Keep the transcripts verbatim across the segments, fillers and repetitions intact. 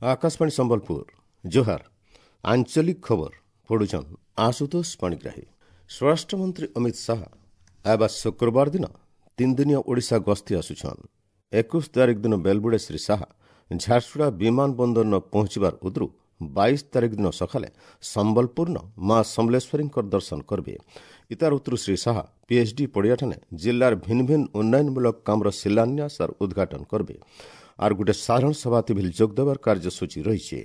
ଆକାଶବାଣୀ ସମ୍ବଲପୁର ଜୁହାର ଆଞ୍ଚଳିକ ଖବର ପଢୁଛନ୍ ଆଶୁତୋଷ ପାଣିଗ୍ରାହୀ ସ୍ୱରାଷ୍ଟ୍ରମନ୍ତ୍ରୀ ଅମିତ ଶାହା ଆଇବା ଶୁକ୍ରବାର ଦିନ ତିନିଦିନିଆ ଓଡ଼ିଶା ଗସ୍ତି ଆସୁଛନ୍ ଏକୋଇଶ ତାରିଖ ଦିନ ବେଲବୁଡ଼େ ଶ୍ରୀ ଶାହା ଝାରସୁଗୁଡ଼ା ବିମାନ ବନ୍ଦରନ ପହଞ୍ଚିବାର ଉଦ୍ରୁ ବାଇଶ ତାରିଖ ଦିନ ସକାଳେ ସମ୍ବଲପୁରନ ମା ସମଲେଶ୍ୱରୀଙ୍କର ଦର୍ଶନ କରିବେ ଇତାର ଉତ୍ତରୁ ଶ୍ରୀ ଶାହା ପିଏଚ୍ଡି ପଡ଼ିଆଠାନେ ଜିଲ୍ଲାର ଭିନ୍ନ ଭିନ୍ନ ଉନ୍ନୟନମୂଳକ କାମର ଶିଳାନ୍ୟାସ ଆର୍ ଉଦ୍ଘାଟନ କରିବେ ଆର୍ ଗୋଟେ ସାଧାରଣ ସଭାତି ଭିଲ୍ ଯୋଗ ଦେବାର କାର୍ଯ୍ୟସୂଚୀ ରହିଛି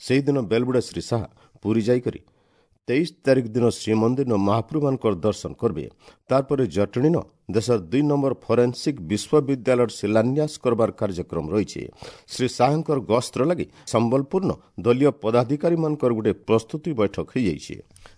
ସେହିଦିନ ବେଲବୁଡ଼ା ଶ୍ରୀ ଶାହା ପୁରୀ ଯାଇକରି ତେଇଶ ତାରିଖ ଦିନ ଶ୍ରୀମନ୍ଦିର ମହାପ୍ରଭୁମାନଙ୍କର ଦର୍ଶନ କରିବେ ତାରପରେ ଜଟଣୀନ ଦେଶର ଦୁଇ ନମ୍ବର ଫରେନ୍ସିକ୍ ବିଶ୍ୱବିଦ୍ୟାଳୟର ଶିଳାନ୍ୟାସ କରବାର କାର୍ଯ୍ୟକ୍ରମ ରହିଛି ଶ୍ରୀ ଶାହାଙ୍କର ଗସ୍ତର ଲାଗି ସମ୍ବଲପୁରନ ଦଳୀୟ ପଦାଧିକାରୀମାନଙ୍କର ଗୋଟେ ପ୍ରସ୍ତୁତି ବୈଠକ ହୋଇଯାଇଛି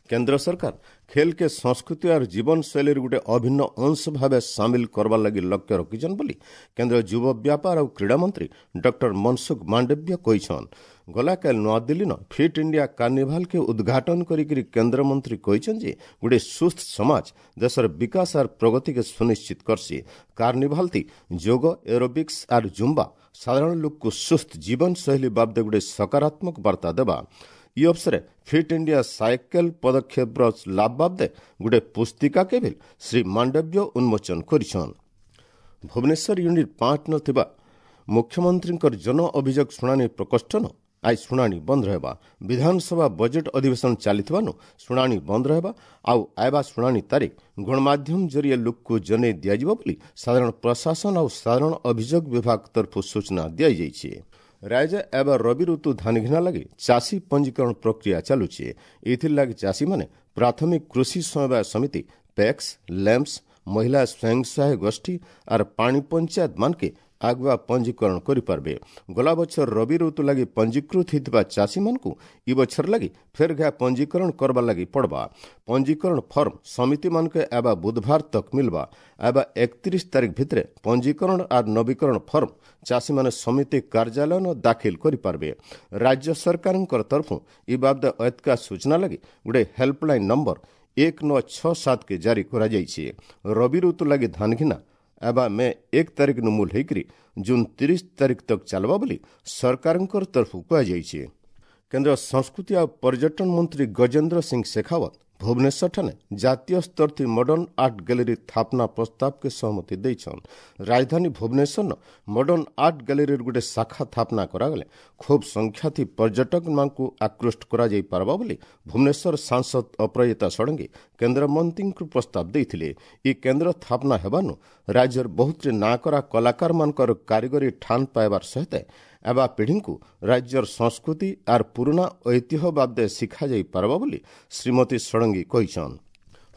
କେନ୍ଦ୍ର ସରକାର ଖେଲ୍କେ ସଂସ୍କୃତି ଆର୍ ଜୀବନଶୈଳୀର ଗୋଟେ ଅଭିନ୍ନ ଅଂଶ ଭାବେ ସାମିଲ କରବାର ଲାଗି ଲକ୍ଷ୍ୟ ରଖିଛନ୍ ବୋଲି କେନ୍ଦ୍ର ଯୁବ ବ୍ୟାପାର ଆଉ କ୍ରୀଡ଼ାମନ୍ତ୍ରୀ ଡକ୍ଟର ମନସୁଖ ମାଣ୍ଡବ୍ୟ କହିଛନ୍ ଗଲାକାଲି ନୂଆଦିଲ୍ଲୀନ ଫିଟ୍ ଇଣ୍ଡିଆ କାର୍ନିଭାଲ୍କେ ଉଦ୍ଘାଟନ କରିକିରି କେନ୍ଦ୍ରମନ୍ତ୍ରୀ କହିଛନ୍ତି ଯେ ଗୋଟେ ସୁସ୍ଥ ସମାଜ ଦେଶର ବିକାଶ ଆର୍ ପ୍ରଗତିକେ ସୁନିଶ୍ଚିତ କରସି କାର୍ନିଭାଲ୍ ଥି ଯୋଗ ଏରୋବିକ୍ସ ଆର୍ ଜୁମ୍ବା ସାଧାରଣ ଲୋକକୁ ସୁସ୍ଥ ଜୀବନଶୈଳୀ ବାବଦେ ଗୋଟେ ସକାରାତ୍ମକ ବାର୍ତ୍ତା ଦେବା ଇ ଅବସରେ ଫିଟ୍ ଇଣ୍ଡିଆ ସାଇକେଲ ପଦକ୍ଷେପର ଲାଭ ବାବଦେ ଗୋଟେ ପୁସ୍ତିକାକେ ବି ଶ୍ରୀ ମାଣ୍ଡବ୍ୟ ଉନ୍ମୋଚନ କରିଛନ୍ ଭୁବନେଶ୍ୱର ୟୁନିଟ୍ ପାଞ୍ଚ ନ ଥିବା ମୁଖ୍ୟମନ୍ତ୍ରୀଙ୍କର ଜନ ଅଭିଯୋଗ ଶୁଣାଣି ପ୍ରକୋଷ୍ଠନ ଆଜି ଶୁଣାଣି ବନ୍ଦ ରହିବା ବିଧାନସଭା ବଜେଟ୍ ଅଧିବେଶନ ଚାଲିଥିବାରୁ ଶୁଣାଣି ବନ୍ଦ ରହିବା ଆଉ ଆଇବା ଶୁଣାଣି ତାରିଖ ଗଣମାଧ୍ୟମ ଜରିଏ ଲୋକକୁ ଜଣାଇ ଦିଆଯିବ ବୋଲି ସାଧାରଣ ପ୍ରଶାସନ ଆଉ ସାଧାରଣ ଅଭିଯୋଗ ବିଭାଗ ତରଫରୁ ସୂଚନା ଦିଆଯାଇଛି ରାଜ୍ୟ ଏବେ ରବି ଋତୁ ଧାନ ଘିନା ଲାଗି ଚାଷୀ ପଞ୍ଜୀକରଣ ପ୍ରକ୍ରିୟା ଚାଲୁଛି ଏଥିର୍ଲାଗି ଚାଷୀମାନେ ପ୍ରାଥମିକ କୃଷି ସମବାୟ ସମିତି ପ୍ୟାକ୍ସ ଲ୍ୟାମ୍ପସ ମହିଳା ସ୍ୱୟଂ ସହାୟକ ଗୋଷ୍ଠୀ ଆର୍ ପାଣି ପଞ୍ଚାୟତ ମାନକେ ଆଗୁଆ ପଞ୍ଜୀକରଣ କରିପାରିବେ ଗଲା ବଛର ରବି ଋତୁ ଲାଗି ପଞ୍ଜୀକୃତ ହୋଇଥିବା ଚାଷୀମାନଙ୍କୁ ଇ ବଛର ଲାଗି ଫେର୍ ଘା ପଞ୍ଜୀକରଣ କରବାର ଲାଗି ପଡ଼ବା ପଞ୍ଜୀକରଣ ଫର୍ମ ସମିତିମାନକେ ଏବା ବୁଧବାର ତକ୍ ମିଲବା ଏବା ଏକତିରିଶ ତାରିଖ ଭିତରେ ପଞ୍ଜୀକରଣ ଆର୍ ନବୀକରଣ ଫର୍ମ ଚାଷୀମାନେ ସମିତି କାର୍ଯ୍ୟାଳୟନ ଦାଖିଲ କରିପାରିବେ ରାଜ୍ୟ ସରକାରଙ୍କର ତରଫରୁ ଇ ବାବଦେ ଏତକା ସୂଚନା ଲାଗି ଗୋଟେ ହେଲ୍ପଲାଇନ୍ ନମ୍ବର ଏକ ନଅ ଛଅ ସାତକେ ଜାରି କରାଯାଇଛି ରବି ଋତୁ ଲାଗି ଧାନ ଘିନା ଏବା ମେ ଏକ ତାରିଖ ନୁ ମୂଲ ହେଇକରି ଜୁନ୍ ତିରିଶ ତାରିଖ ତକ୍ ଚାଲବା ବୋଲି ସରକାରଙ୍କର ତରଫରୁ କୁହାଯାଇଛି କେନ୍ଦ୍ର ସଂସ୍କୃତି ଆଉ ପର୍ଯ୍ୟଟନ ମନ୍ତ୍ରୀ ଗଜେନ୍ଦ୍ର ସିଂ ଶେଖାୱତ ଭୁବନେଶ୍ୱରଠାନେ ଜାତୀୟ ସ୍ତର ଥି ମଡର୍ଣ୍ଣ ଆର୍ଟ ଗ୍ୟାଲେରୀ ସ୍ଥାପନା ପ୍ରସ୍ତାବକେ ସହମତି ଦେଇଛନ୍ ରାଜଧାନୀ ଭୁବନେଶ୍ୱରନ ମଡର୍ଣ୍ଣ ଆର୍ଟ ଗ୍ୟାଲେରୀର ଗୋଟେ ଶାଖା ସ୍ଥାପନା କରାଗଲେ ଖୁବ୍ ସଂଖ୍ୟା ଥି ପର୍ଯ୍ୟଟକମାନଙ୍କୁ ଆକୃଷ୍ଟ କରାଯାଇ ପାରବା ବୋଲି ଭୁବନେଶ୍ୱର ସାଂସଦ ଅପରାଜିତା ଷଡ଼ଙ୍ଗୀ କେନ୍ଦ୍ରମନ୍ତ୍ରୀଙ୍କୁ ପ୍ରସ୍ତାବ ଦେଇଥିଲେ ଇ କେନ୍ଦ୍ର ସ୍ଥାପନା ହେବାନୁ ରାଜ୍ୟର ବହୁତରେ ନାଁକରା କଳାକାରମାନଙ୍କର କାରିଗରୀ ଠାନ ପାଇବାର ସହିତ ଏବା ପିଢ଼ିଙ୍କୁ ରାଜ୍ୟର ସଂସ୍କୃତି ଆର୍ ପୁରୁଣା ଐତିହ୍ୟ ବାବଦେ ଶିଖାଯାଇ ପାରବା ବୋଲି ଶ୍ରୀମତୀ ଷଡ଼ଙ୍ଗୀ କହିଛନ୍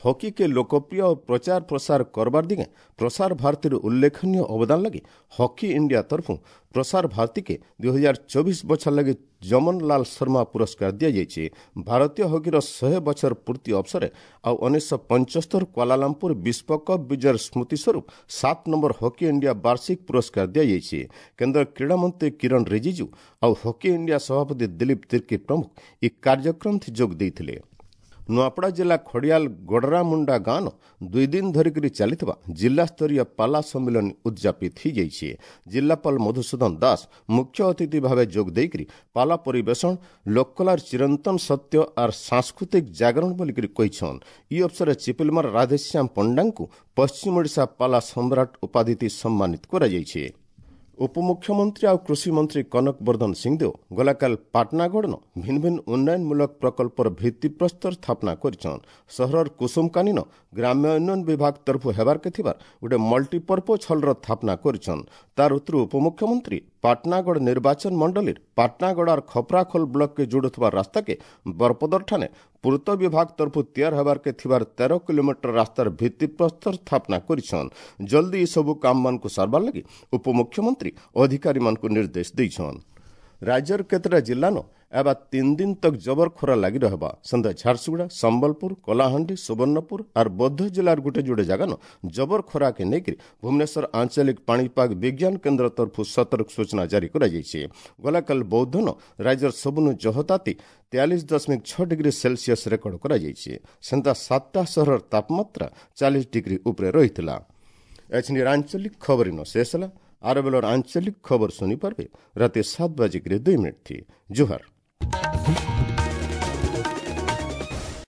ହକିକେ ଲୋକପ୍ରିୟ ଓ ପ୍ରଚାର ପ୍ରସାର କରବାର ଦିଗେ ପ୍ରସାର ଭାରତୀର ଉଲ୍ଲେଖନୀୟ ଅବଦାନ ଲାଗି ହକି ଇଣ୍ଡିଆ ତରଫରୁ ପ୍ରସାର ଭାରତୀକେ ଦୁଇ ହଜାର ଚବିଶ ବଛର ଲାଗି ଜମନଲାଲ ଶର୍ମା ପୁରସ୍କାର ଦିଆଯାଇଛି ଭାରତୀୟ ହକିର ଶହେ ବଛର ପୂର୍ତ୍ତି ଅବସରେ ଆଉ ଉଣେଇଶହ ପଞ୍ଚସ୍ତର କ୍ୱାଲାଲାମ୍ପୁର ବିଶ୍ୱକପ୍ ବିଜୟର ସ୍ମୃତି ସ୍ୱରୂପ ସାତ ନମ୍ବର ହକି ଇଣ୍ଡିଆ ବାର୍ଷିକ ପୁରସ୍କାର ଦିଆଯାଇଛି କେନ୍ଦ୍ର କ୍ରୀଡ଼ାମନ୍ତ୍ରୀ କିରଣ ରିଜିଜୁ ଆଉ ହକି ଇଣ୍ଡିଆ ସଭାପତି ଦିଲୀପ ତିର୍କୀ ପ୍ରମୁଖ ଏହି କାର୍ଯ୍ୟକ୍ରମରେ ଯୋଗ ଦେଇଥିଲେ ନୂଆପଡ଼ା ଜିଲ୍ଲା ଖଡ଼ିଆଲ ଗଡ଼ରାମୁଣ୍ଡା ଗାଁନ ଦୁଇ ଦିନ ଧରିକରି ଚାଲିଥିବା ଜିଲ୍ଲାସ୍ତରୀୟ ପାଲା ସମ୍ମିଳନୀ ଉଦ୍ଯାପିତ ହୋଇଯାଇଛି ଜିଲ୍ଲାପାଳ ମଧୁସୂଦନ ଦାସ ମୁଖ୍ୟ ଅତିଥି ଭାବେ ଯୋଗ ଦେଇକରି ପାଲା ପରିବେଷଣ ଲୋକକଲାର ଚିରନ୍ତନ ସତ୍ୟ ଆର୍ ସାଂସ୍କୃତିକ ଜାଗରଣ ବୋଲିକରି କହିଛନ୍ ଇ ଅବସରରେ ଚିପିଲମାର ରାଧେଶ୍ୟାମ ପଣ୍ଡାଙ୍କୁ ପଶ୍ଚିମ ଓଡ଼ିଶା ପାଲା ସମ୍ରାଟ ଉପାଧିତି ସମ୍ମାନିତ କରାଯାଇଛି ଉପମୁଖ୍ୟମନ୍ତ୍ରୀ ଆଉ କୃଷିମନ୍ତ୍ରୀ କନକ ବର୍ଦ୍ଧନ ସିଂଦେଓ ଗଲାକାଲି ପାଟନାଗଡ଼ନ ଭିନ୍ନ ଭିନ୍ନ ଉନ୍ନୟନମୂଳକ ପ୍ରକଳ୍ପର ଭିତ୍ତିପ୍ରସ୍ତର ସ୍ଥାପନା କରିଛନ୍ ସହରର କୁସୁମକାନୀନ ଗ୍ରାମ୍ୟ ଉନ୍ନୟନ ବିଭାଗ ତରଫରୁ ହେବାର୍କେ ଥିବାର ଗୋଟେ ମଲ୍ଟିପର୍ପୋଜ ହଲ୍ର ସ୍ଥାପନା କରିଛନ୍ ତାର ଉତ୍ତରୁ ଉପମୁଖ୍ୟମନ୍ତ୍ରୀ ପାଟନାଗଡ଼ ନିର୍ବାଚନ ମଣ୍ଡଳୀର ପାଟନାଗଡ଼ ଆର୍ ଖପରାଖୋଲ ବ୍ଲକକେ ଯୋଡୁଥିବା ରାସ୍ତାକେ ବରପଦରଠାନେ ପୂର୍ତ୍ତ ବିଭାଗ ତରଫରୁ ତିଆର ହେବାର୍କେ ଥିବାର ତେର କିଲୋମିଟର ରାସ୍ତାର ଭିତ୍ତିପ୍ରସ୍ତର ସ୍ଥାପନା କରିଛନ୍ ଜଲ୍ଦି ଏସବୁ କାମମାନଙ୍କୁ ସାରବାର ଲାଗି ଉପମୁଖ୍ୟମନ୍ତ୍ରୀ ଅଧିକାରୀମାନଙ୍କୁ ନିର୍ଦ୍ଦେଶ ଦେଇଛନ୍ ରାଜ୍ୟର କେତେଟା ଜିଲ୍ଲାନ ଏବା ତିନି ଦିନ ତକ୍ ଜବର ଖରା ଲାଗି ରହିବା ସେନ୍ତା ଝାରସୁଗୁଡ଼ା ସମ୍ବଲପୁର କଳାହାଣ୍ଡି ସୁବର୍ଣ୍ଣପୁର ଆର୍ ବୌଦ୍ଧ ଜିଲ୍ଲାର ଗୋଟେ ଯୋଡ଼େ ଜାଗାନ ଜବର ଖରାକେ ନେଇକରି ଭୁବନେଶ୍ୱର ଆଞ୍ଚଳିକ ପାଣିପାଗ ବିଜ୍ଞାନ କେନ୍ଦ୍ର ତରଫରୁ ସତର୍କ ସୂଚନା ଜାରି କରାଯାଇଛି ଗଲାକାଲି ବୌଦ୍ଧନ ରାଜ୍ୟର ସବୁନୁ ଜହତାତି ତେୟାଳିଶ ଦଶମିକ ଛଅ ଡିଗ୍ରୀ ସେଲସିୟସ୍ ରେକର୍ଡ କରାଯାଇଛି ସେନ୍ତା ସାତଟା ସହରର ତାପମାତ୍ରା ଚାଳିଶ ଡିଗ୍ରୀ ଉପରେ ରହିଥିଲା ଏଛିନି ଆଞ୍ଚଳିକ ଖବର ଇନ ଶେଷ ହେଲା ଆର ବେଲର ଆଞ୍ଚଳିକ ଖବର ଶୁଣିପାରିବେ ରାତି ସାତ ବାଜିକିରି ଦୁଇ ମିନିଟ୍ ଥି। ଜୁହାର।